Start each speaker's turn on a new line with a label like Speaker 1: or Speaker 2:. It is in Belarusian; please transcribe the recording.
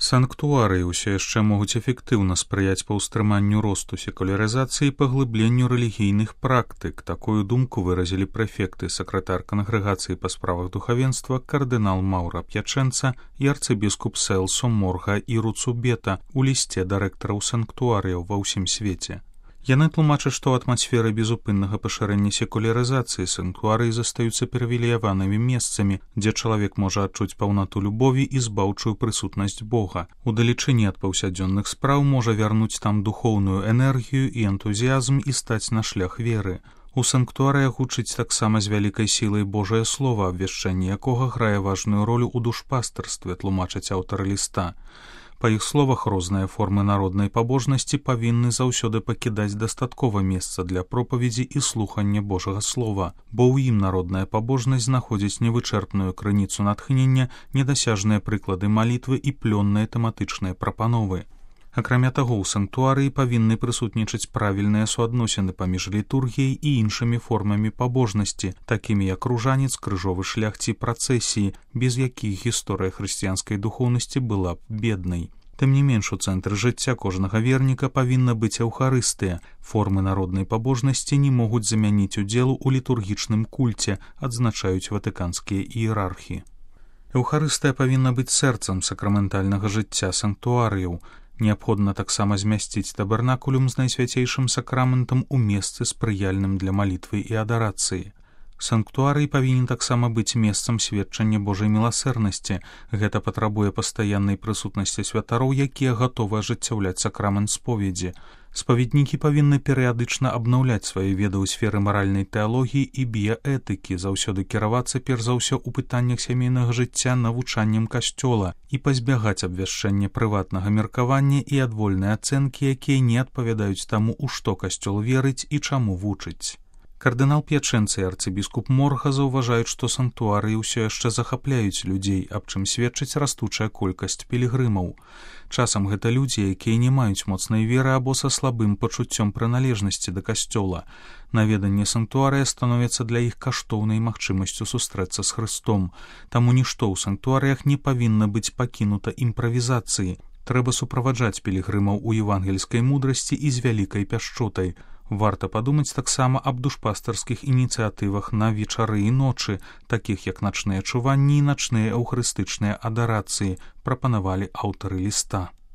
Speaker 1: Санктуарыі ўсё яшчэ могуць эфектыўна спрыяць паўстрыманню росту секулярызацыі і паглыбленню рэлігійных практык. Такую думку выразілі прэфекты, сакратар кангрэгацыі па справах духавенства кардынал Маўра П'ячэнца і арцыбіскуп Селсо Морга і Руцубета у лісце дырэктараў санктуарыяў ва ўсім свеце. Яны тлумачаць, што ў атмасферы безупыннага пашырэння секулярызацыі санктуарыі застаюцца прывілеяванымі месцамі, дзе чалавек можа адчуць паўнату любові і збаўчую прысутнасць Бога. Удалечыні ад паўсядзённых спраў можа вярнуць там духоўную энергію і энтузіязм і стаць на шлях веры. У санктуарыях гучыць таксама з вялікай сілай Божае Слова, абвяшчэнне якога грае важную ролю ў душпастарстве, тлумачаць аўтары ліста. Па іх словах, розныя формы народнай пабожнасці павінны заўсёды пакідаць дастаткова месца для пропаведзі і слухання Божага Слова, бо ў ім народная пабожнасць знаходзіць невычэрпную крыніцу натхнення, недасяжныя прыклады малітвы і плённыя тэматычныя прапановы. Акрамя таго, у санктуарыі павінны прысутнічаць правільныя суадносіны паміж літургіяй і іншымі формамі пабожнасці, такімі як ружанец, крыжовы шлях ці працэсіі, без якіх гісторыя хрысціянскай духоўнасці была б беднай. Тым не менш, у цэнтры жыцця кожнага верніка павінна быць эўхарыстыя. Формы народнай пабожнасці не могуць замяніць удзелу ў літургічным кульце, адзначаюць ватыканскія іерархі. Эўхарыстыя павінна быць сэрцам сакраментальнага жыцця санктуарыяў. Неабходна таксама змясціць табернакулюм з найсвяцейшым сакраментам у месцы спрыяльным для малітвы і адарацыі. Санктуарый павінен таксама быць месцам сведчання Божай міласэрнасці. Гэта патрабуе пастаяннай прысутнасці святароў, якія гатовы ажыццяўляць сакрамент споведзі. Спаведнікі павінны перыядычна абнаўляць свае веды ў сферы маральнай тэалогіі і біяэтыкі, заўсёды кіравацца перш за ўсё ў пытаннях сямейнага жыцця навучаннем касцёла і пазбягаць абвяшчэння прыватнага меркавання і адвольнай ацэнкі, якія не адпавядаюць таму, у што касцёл верыць і чаму вучыць. Кардынал П'ячэнца і арцыбіскуп Морга заўважаюць, што санктуарыі ўсё яшчэ захапляюць людзей, аб чым сведчыць растучая колькасць пілігрымаў. Часам гэта людзі, якія не маюць моцнай веры або са слабым пачуццём прыналежнасці да касцёла. Наведанне санктуарыя становіцца для іх каштоўнай магчымасцю сустрэцца з Хрыстом. Таму нішто ў санктуарыях не павінна быць пакінута імправізацыі. Трэба суправаджаць пілігрымаў у евангельскай мудрасці і з вялікай пяшчотай. Варта падумаць таксама аб душпастарскіх ініцыятывах на вечары і ночы, такіх як начныя чуванні і начныя эўхарыстычныя адарацыі, прапанавалі аўтары ліста.